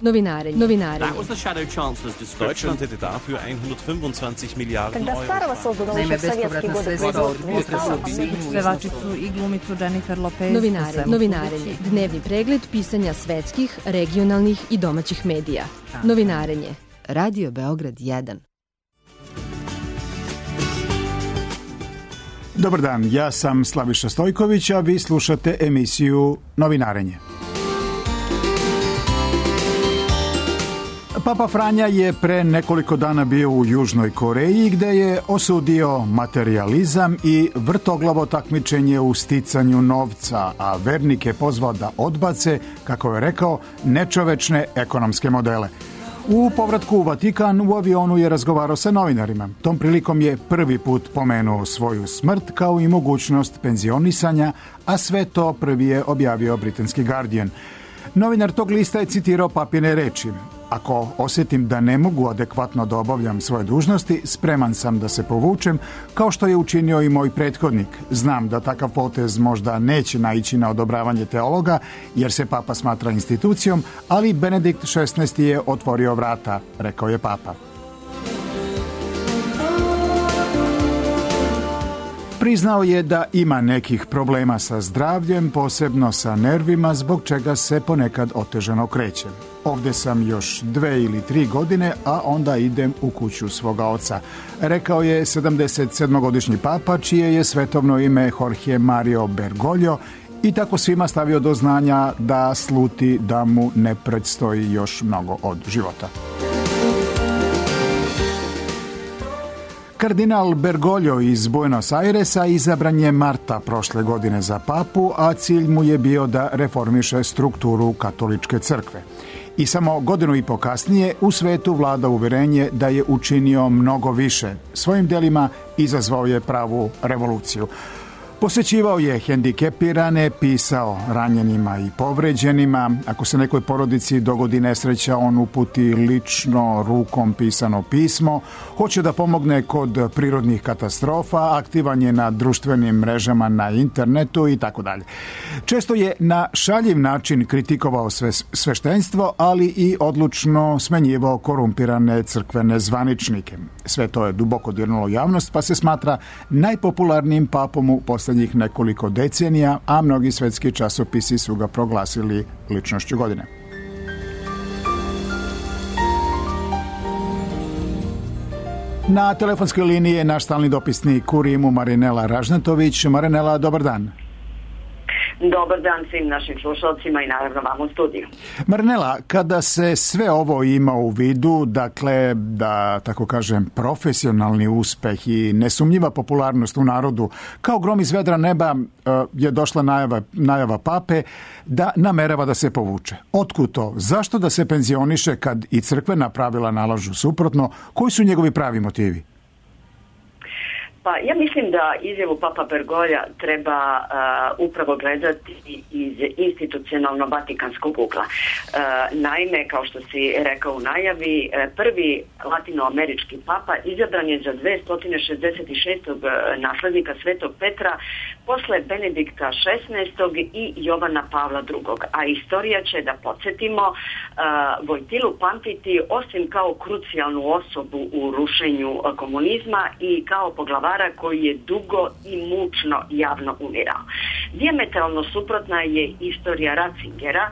Novinarenje. Deutschland hätte dafür 125 Milijarden Euro. Naime, bespovratna sredstva od potresa u Sinju. Pevačicu i glumicu Jennifer Lopez. Novinarenje. Dnevni pregled pisanja svetskih, regionalnih i domaćih medija. Novinarenje. Radio Beograd 1. Dobar dan, ja sam Slaviša Stojković, a vi slušate emisiju Novinarenje. Papa Franja je pre nekoliko dana bio u Južnoj Koreji gde je osudio materijalizam i vrtoglavo takmičenje u sticanju novca, a vernike pozvao da odbace, kako je rekao, nečovečne ekonomske modele. U povratku u Vatikan u avionu je razgovarao sa novinarima. Tom prilikom je prvi put pomenuo svoju smrt kao i mogućnost penzionisanja, a sve to prvi je objavio britanski Guardian. Novinar tog lista je citirao papine reči: "Ako osjetim da ne mogu adekvatno da obavljam svoje dužnosti, spreman sam da se povučem, kao što je učinio i moj prethodnik. Znam da takav potez možda neće naići na odobravanje teologa, jer se papa smatra institucijom, ali Benedikt XVI je otvorio vrata", rekao je papa. Priznao je da ima nekih problema sa zdravljem, posebno sa nervima, zbog čega se ponekad otežano kreće. "Ovde sam još 2 ili 3 godine, a onda idem u kuću svoga oca", rekao je 77-godišnji papa, čije je svetovno ime Jorge Mario Bergoglio, i tako svima stavio do znanja da sluti da mu ne predstoji još mnogo od života. Kardinal Bergoglio iz Buenos Airesa izabran je marta prošle godine za papu, a cilj mu je bio da reformiše strukturu katoličke crkve. I samo godinu i po kasnije u svetu vlada uverenje da je učinio mnogo više. Svojim delima izazvao je pravu revoluciju. Posećivao je hendikepirane, pisao ranjenima i povređenima. Ako se nekoj porodici dogodi nesreća, on uputi lično rukom pisano pismo. Hoće da pomogne kod prirodnih katastrofa, aktivan je na društvenim mrežama, na internetu i tako dalje. Često je na šaljiv način kritikovao sveštenstvo, ali i odlučno smenjivao korumpirane crkvene zvaničnike. Sve to je duboko dirnulo javnost, pa se smatra najpopularnijim papom u posljednjih nekoliko decenija, a mnogi svetski časopisi su ga proglasili ličnošću godine. Na telefonskoj liniji je naš stalni dopisnik u Rimu Marinela Ražnatović. Marinela, dobar dan. Dobar dan svim našim slušalcima i naravno vam u studiju. Marinela, kada se sve ovo ima u vidu, dakle, da tako kažem, profesionalni uspeh i nesumnjiva popularnost u narodu, kao grom iz vedra neba je došla najava pape da namerava da se povuče. Otkud to? Zašto da se penzioniše kad i crkvena pravila nalažu suprotno? Koji su njegovi pravi motivi? Pa ja mislim da izjavu Papa Bergoglja treba upravo gledati iz institucionalno-vatikanskog ugla. Naime, kao što si rekao u najavi, prvi latinoamerički papa izabran je za 266. naslednika Svetog Petra posle Benedikta XVI. I Jovana Pavla II. A istorija će, da podsjetimo, Vojtilu pamtiti osim kao krucijalnu osobu u rušenju komunizma i kao poglavara koji je dugo i mučno javno umirao. Dijametralno suprotna je istorija Ratzingera,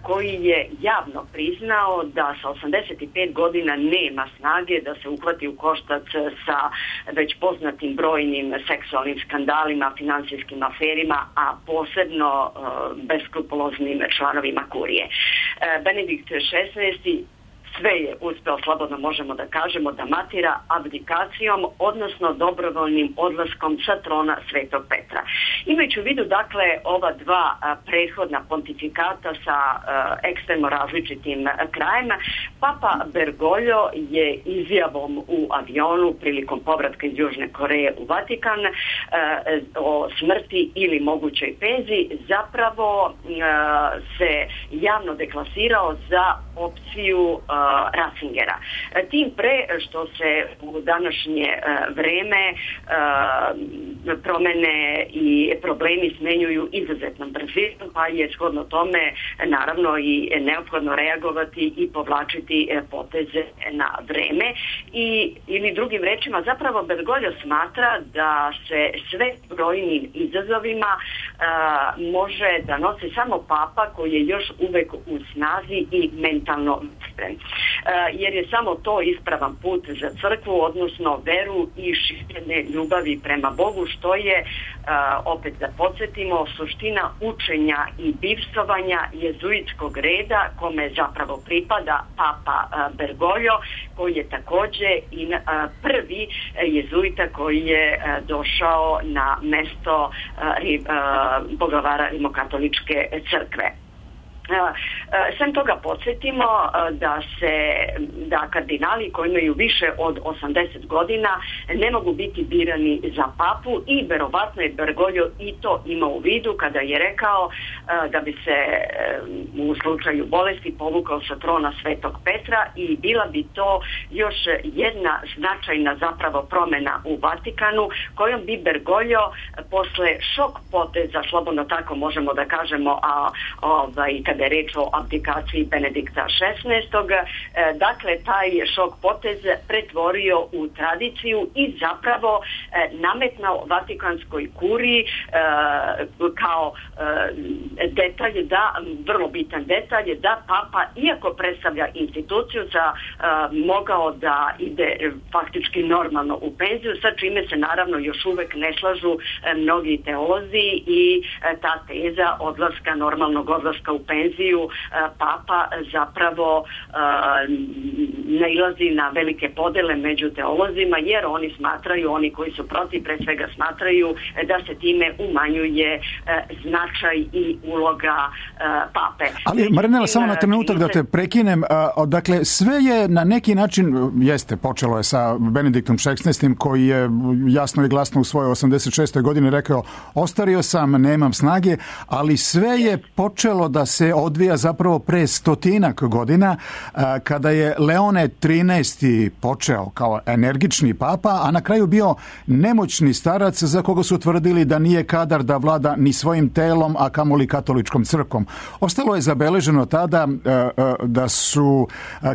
koji je javno priznao da sa 85 godina nema snage da se uhvati u koštac sa već poznatim brojnim seksualnim skandalima, finansijskim aferima, a posebno beskrupuloznim članovima kurije. Benedikt XVI sve je uspeo, slobodno možemo da kažemo, da matira abdikacijom, odnosno dobrovoljnim odlaskom sa trona Svetog Petra. Imajući u vidu, dakle, ova dva prethodna pontifikata sa ekstremno različitim krajima, Papa Bergoglio je izjavom u avionu prilikom povratka iz Južne Koreje u Vatikan o smrti ili mogućoj penziji zapravo se javno deklasirao za opciju Ratzingera. Tim pre što se u današnje vreme promene i problemi smenjuju izuzetnom brzinom, pa je shodno tome naravno i neophodno reagovati i povlačiti poteze na vreme. Ili drugim rečima, zapravo Bergoglio smatra da se sve brojnim izazovima može da nosi samo papa koji je još uvek u snazi i mentalno sprem. Jer je samo to ispravan put za crkvu, odnosno veru i širenje ljubavi prema Bogu, što je, opet da podsjetimo, suština učenja i bivstvovanja jezuitskog reda kome zapravo pripada papa Bergoglio, koji je takođe i prvi jezuita koji je došao na mesto poglavara rimokatoličke crkve. Sem toga podsjetimo da kardinali koji imaju više od 80 godina ne mogu biti birani za papu i verovatno je Bergoglio i to imao u vidu kada je rekao da bi se u slučaju bolesti povukao sa trona Svetog Petra i bila bi to još jedna značajna zapravo promjena u Vatikanu kojom bi Bergoglio posle šok poteza, slobodno tako možemo da kažemo, kada je reč o abdikaciji Benedikta XVI. Dakle, taj šok potez pretvorio u tradiciju i zapravo nametnao Vatikanskoj kuriji kao detalj, vrlo bitan detalj, da papa, iako predstavlja instituciju, mogao da ide faktički normalno u penziju, sa čime se naravno još uvek ne slažu mnogi teolozi i ta teza normalnog odlaska u penziju papa zapravo nailazi na velike podele među teolozima, jer oni koji su protiv, pre svega smatraju da se time umanjuje značaj i uloga pape. Ali Marinela, samo na trenutak da te prekinem, dakle sve je na neki način, počelo je sa Benediktom XVI koji je jasno i glasno u svojoj 86. godini rekao: ostario sam, nemam snage, ali sve je počelo da se odvija zapravo pre 100 godina kada je Leone XIII počeo kao energični papa, a na kraju bio nemoćni starac za koga su tvrdili da nije kadar da vlada ni svojim telom, a kamoli katoličkom crkvom. Ostalo je zabeleženo tada da su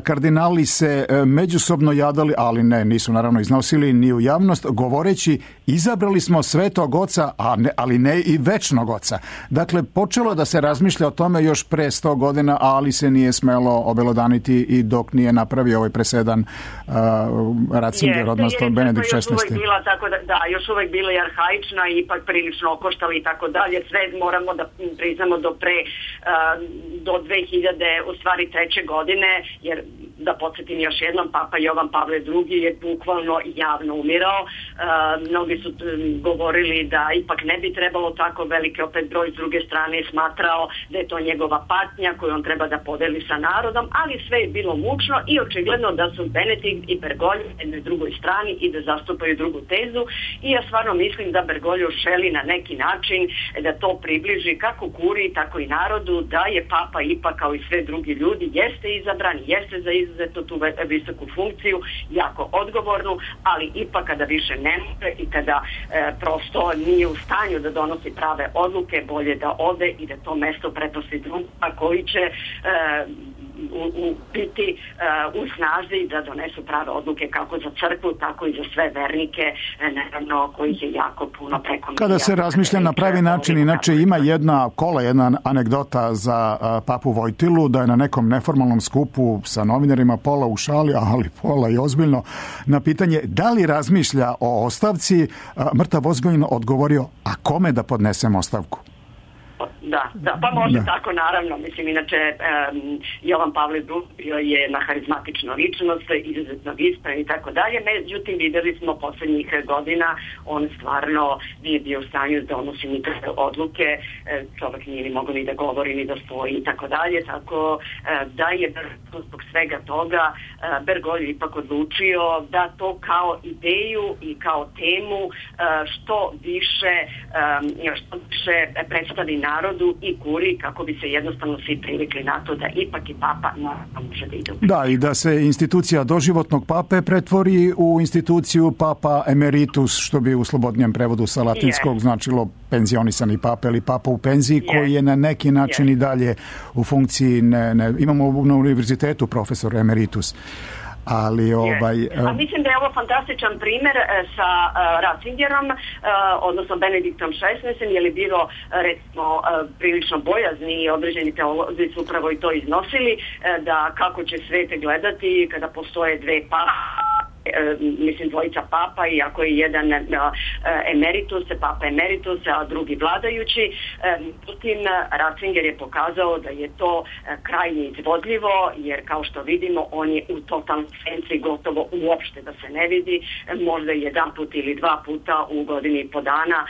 kardinali se međusobno jadali, ali nisu naravno iznosili ni u javnost, govoreći: izabrali smo Svetog Oca, ali ne i večnog Oca. Dakle, počelo da se razmišlja o tome još pre 100 godina, ali se nije smelo obelodaniti i dok nije napravio ovaj presedan Ratzinger, odnosno Benedikt XVI. Još uvek bila je arhaična i ipak prilično okoštala i tako dalje. Sve moramo da priznamo do 2000, u stvari 3. godine, jer da podsjetim još jednom, papa Jovan Pavle II je bukvalno javno umirao. Mnogi su govorili da ipak ne bi trebalo tako, veliki opet broj s druge strane smatrao da je to njegova patnja koju on treba da podeli sa narodom, ali sve je bilo mučno i očigledno da su Benedikt i Bergoglio na jednoj drugoj strani i da zastupaju drugu tezu, i ja stvarno mislim da Bergoglio želi na neki način da to približi kako kuriji, tako i narodu, da je papa ipak kao i sve drugi ljudi jeste izabran, jeste za izuzetno tu visoku funkciju, jako odgovornu, ali ipak kada više ne može i kada prosto nije u stanju da donosi prave odluke, bolje da ode i da to mesto prepusti drugima koji će biti u snazi da donesu prave odluke kako za crkvu, tako i za sve vernike, naravno kojih je jako puno preko. Kada se razmišlja na pravi način, inače ima jedna anegdota za papu Vojtilu, da je na nekom neformalnom skupu sa novinarima, pola u šali, ali pola i ozbiljno, na pitanje da li razmišlja o ostavci, mrtav ozbiljno odgovorio: a kome da podnesem ostavku? Da, pa može tako, naravno. Mislim, inače, Jovan Pavle II bio je na harizmatičnu ličnost, izuzetno ispran i tako dalje. Međutim, videli smo poslednjih godina, on stvarno nije bio u stanju da donosi nikakve odluke, čovjek nije ni mogao ni da govori, ni da stoji i tako dalje, tako da je zbog svega toga Bergoglio ipak odlučio da to kao ideju i kao temu što više predstavi narodu vodu i kuri kako bi se jednostavno svi privikli na to da ipak i papa može da ide. Da, i da se institucija doživotnog pape pretvori u instituciju papa emeritus, što bi u slobodnijem prevodu sa latinskog značilo penzionisani papa ili papa u penziji, koji je na neki način i dalje u funkciji. Imamo na univerzitetu profesor emeritus. Ali A mislim da je ovo fantastičan primjer sa Ratzingerom, odnosno Benediktom XVI, je li bilo recimo prilično bojazni i određeni teolozi su upravo i to iznosili, da kako će svete gledati kada postoje dve dvojica papa, iako je jedan papa emeritus, a drugi vladajući. Međutim, Ratzinger je pokazao da je to krajnje izvodljivo, jer kao što vidimo, on je u totalnoj senci gotovo uopšte da se ne vidi, možda jedan put ili dva puta u godini i po dana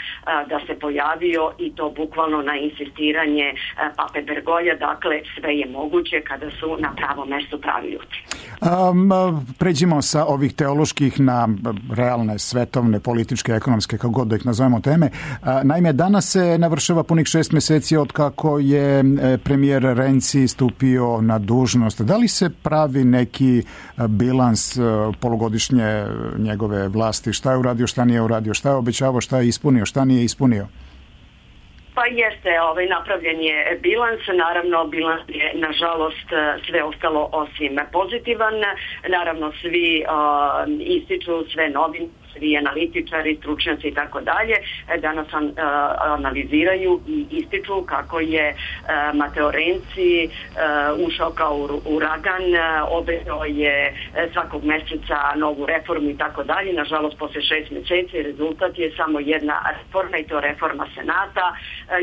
da se pojavio, i to bukvalno na insistiranje pape Bergolja. Dakle, sve je moguće kada su na pravom mjestu pravi ljudi. Pređimo sa ovih teoloških na realne, svetovne, političke, ekonomske, kako god da ih nazovemo, teme. Naime, danas se navršava punih 6 mjeseci od kako je premijer Renzi stupio na dužnost. Da li se pravi neki bilans polugodišnje njegove vlasti? Šta je uradio, šta nije uradio, šta je obećavao, šta je ispunio, šta nije ispunio? Pa jeste, napravljen je bilans, naravno bilans je nažalost sve ostalo osim pozitivan, naravno svi ističu, sve novine, svi analitičari, stručnjaci i tako dalje, danas analiziraju i ističu kako je Matteo Renzi ušao kao uragan, obećao je svakog mjeseca novu reformu i tako dalje. Nažalost, poslije 6 mjeseci rezultat je samo jedna reforma, i to reforma Senata.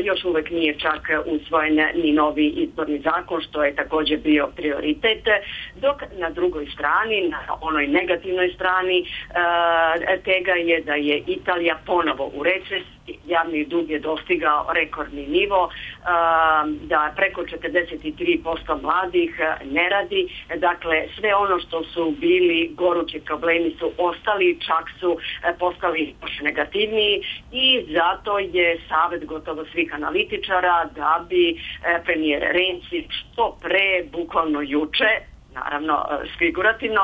Još uvijek nije čak usvojen ni novi izborni zakon, što je također bio prioritet, dok na drugoj strani, na onoj negativnoj strani tega je da je Italija ponovo u recesiji, javni dug je dostigao rekordni nivo, da preko 43% mladih ne radi, dakle sve ono što su bili gorući problemi su ostali, čak su postali još negativniji, i zato je savjet gotovo svih analitičara da bi premijer Renzi što pre, bukvalno juče, naravno figurativno,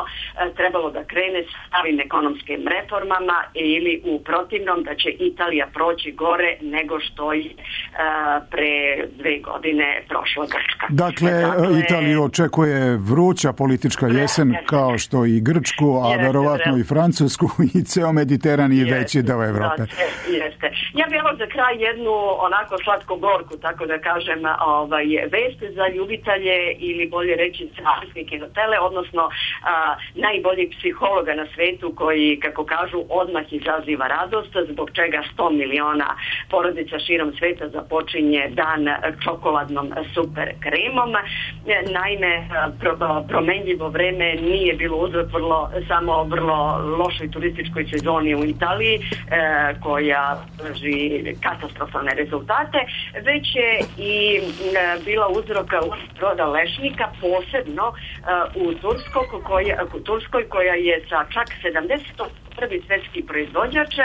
trebalo da krene s pravim ekonomskim reformama, ili u protivnom da će Italija proći gore nego što je pre 2 godine prošla Grčka. Dakle, Italiju očekuje vruća politička jesen, kao što i Grčku, a verovatno i Francusku i ceo Mediteran i veći deo Evrope. Jeste. Ja bih za kraj jednu onako slatko-gorku, tako da kažem, vest za ljubitelje, ili bolje reći carske kinotele, odnosno najboljih psihologa na svetu, koji, kako kažu, odmah izaziva radost, zbog čega 100 miliona porodica širom sveta započinje dan čokoladnom super kremom. Naime, promenljivo vreme nije bilo uzrok samo vrlo lošoj turističkoj sezoni u Italiji, koja drži katastrofalne rezultate, već je i bila uzrok roda lešnika, posebno u Turskoj, koja je sa čak 70% prvi svjetski proizvođač,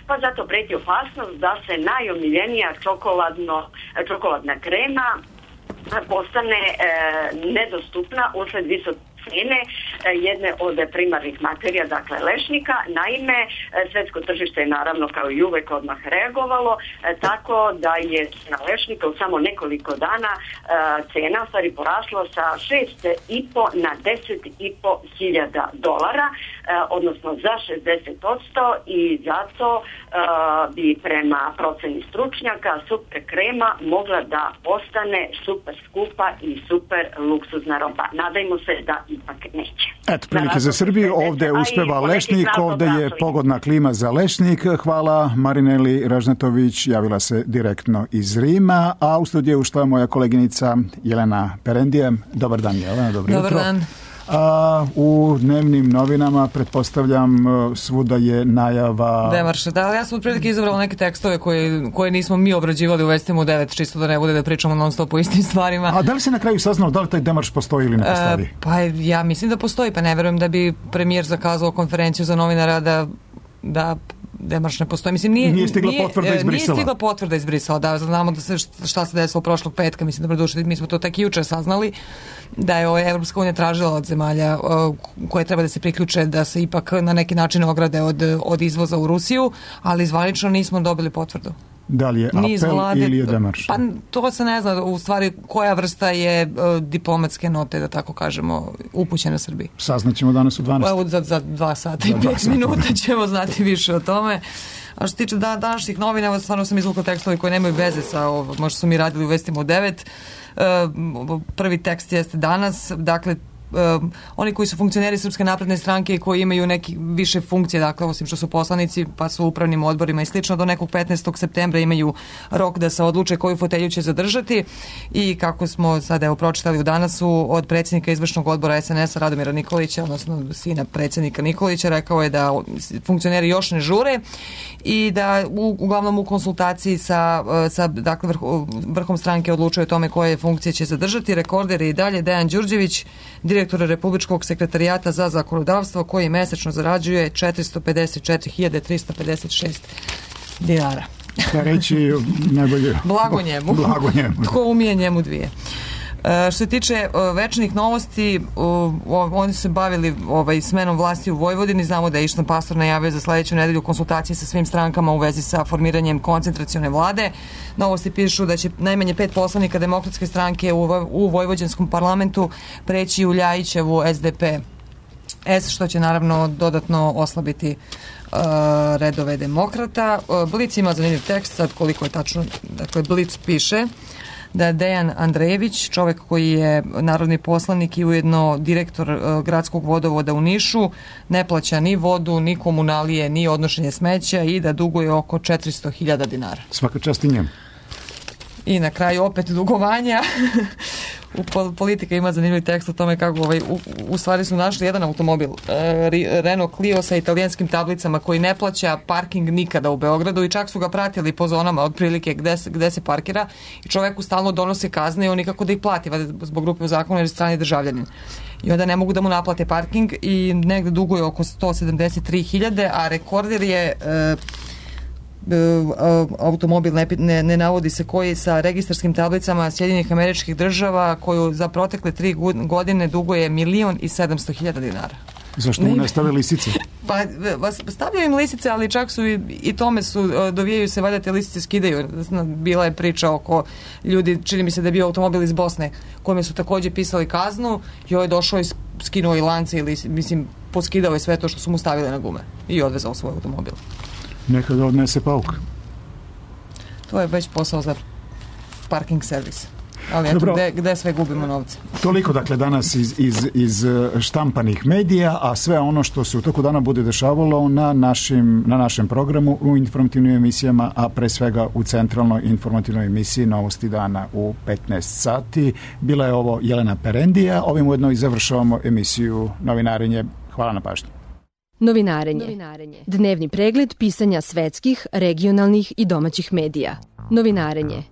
pa zato preti opasnost da se najomiljenija čokoladna krema postane nedostupna usled visoke cijene jedne od primarnih materija, dakle lešnika. Naime, svjetsko tržište je naravno kao i uvek odmah reagovalo, tako da je na lešnika u samo nekoliko dana cena stvari porasla sa 6,5 na 10,5 hiljada dolara, odnosno za 60%, i zato bi prema proceni stručnjaka super krema mogla da postane super skupa i super luksuzna roba. Nadajmo se da ipak neće. Eto, prilike za Srbiju, ovdje uspeva lešnik, ovdje je pogodna klima za lešnik. Hvala Marineli Ražnatović, javila se direktno iz Rima, a u studiju ušla moja koleginica Jelena Perendija. Dobar dan, Jelena, dobro jutro. Dobar dan. U dnevnim novinama, pretpostavljam, svuda je najava demarša. Da, ja sam otprilike izabrala neke tekstove koje nismo mi obrađivali u Vestima u 9, čisto da ne bude da pričamo non stop o istim stvarima. A da li se na kraju saznalo da li taj demarš postoji ili ne postoji? Pa ja mislim da postoji, pa ne verujem da bi premijer zakazao konferenciju za novinara da demarš ne postoji. Mislim, nije stigla potvrda iz Brisela. Nije stigla potvrda iz Brisela, da, znamo da šta se desilo prošlog petka, mislim, da mi smo to tek juče saznali, da je Evropska unija tražila od zemalja koje treba da se priključe da se ipak na neki način ograde od izvoza u Rusiju, ali zvanično nismo dobili potvrdu. Da li je apel ili je demarš? Pa to se ne zna, u stvari koja vrsta je diplomatske note, da tako kažemo, upućena Srbiji. Saznaćemo danas u 12. Evo za 2 sata i 5 minuta ćemo znati više o tome. A što se tiče današnjih novina, stvarno sam izvukla tekstovi koji nemaju veze sa ovo, možda su mi radili u Vestima u 9. Prvi tekst jeste danas, dakle, oni koji su funkcioneri Srpske napredne stranke i koji imaju neke više funkcije, dakle osim što su poslanici pa su u upravnim odborima i slično, do nekog 15. septembra imaju rok da se odluče koju fotelju će zadržati i kako smo sad evo pročitali u Danasu od predsjednika izvršnog odbora SNS-a Radomira Nikolića, odnosno sina predsjednika Nikolića, rekao je da funkcioneri još ne žure i da uglavnom u konsultaciji sa dakle vrhom stranke odlučuje o tome koje funkcije će zadržati. Rekorder je i dalje Dejan Đurđević, direktor Republičkog sekretarijata za zakonodavstvo, koji mesečno zarađuje 454.356 dinara. Šta reći najbolje? Blago njemu. Tko umije njemu dvije. Što se tiče večnih novosti, oni su se bavili smenom vlasti u Vojvodini. Znamo da je Ištan Pastor najavio za sledeću nedelju konsultacije sa svim strankama u vezi sa formiranjem koncentracione vlade. Novosti pišu da će najmanje 5 poslanika Demokratske stranke u vojvođanskom parlamentu preći u Ljajićevu SDP-S, što će naravno dodatno oslabiti redove demokrata. Blic ima zanimljiv tekst, sad koliko je tačno, dakle Blic piše da Dejan Andrejević, čovek koji je narodni poslanik i ujedno direktor gradskog vodovoda u Nišu, ne plaća ni vodu, ni komunalije, ni odnošenje smeća i da duguje oko 400.000 dinara. Svaka čast i njemu. I na kraju opet dugovanja. Politika ima zanimljiv tekst o tome kako u stvari su našli jedan automobil Renault Clio sa italijanskim tablicama koji ne plaća parking nikada u Beogradu i čak su ga pratili po zonama otprilike gde se parkira i čoveku stalno donose kazne i on nikako da ih plati zbog grupe u zakonu jer je strani državljanin. I onda ne mogu da mu naplate parking i negde duguje oko 173.000, a rekorder je automobil, ne navodi se koji, sa registarskim tablicama Sjedinjenih Američkih Država, koju za protekle 3 godine duguje 1.700.000 dinara. Zašto mu ne stave lisice? Pa stavljaju im lisice, ali čak su i tome dovijaju se, valjda te lisice skidaju. Bila je priča oko ljudi, čini mi se da je bio automobil iz Bosne, kojima su takođe pisali kaznu i ovaj je došao i skinuo i lance ili, mislim, poskidao je sve to što su mu stavili na gume i odvezao svoj automobil. Neka ga odnese pauk. To je već posao za parking servis. Ali eto, gde sve gubimo novce? Toliko, dakle, danas iz štampanih medija, a sve ono što se u toku dana bude dešavalo na našem programu, u informativnim emisijama, a pre svega u centralnoj informativnoj emisiji Novosti dana u 15 sati. Bila je ovo Jelena Perendija. Ovim ujedno i završavamo emisiju Novinarenje. Hvala na pažnji. Novinarenje. Dnevni pregled pisanja svetskih, regionalnih i domaćih medija. Novinarenje.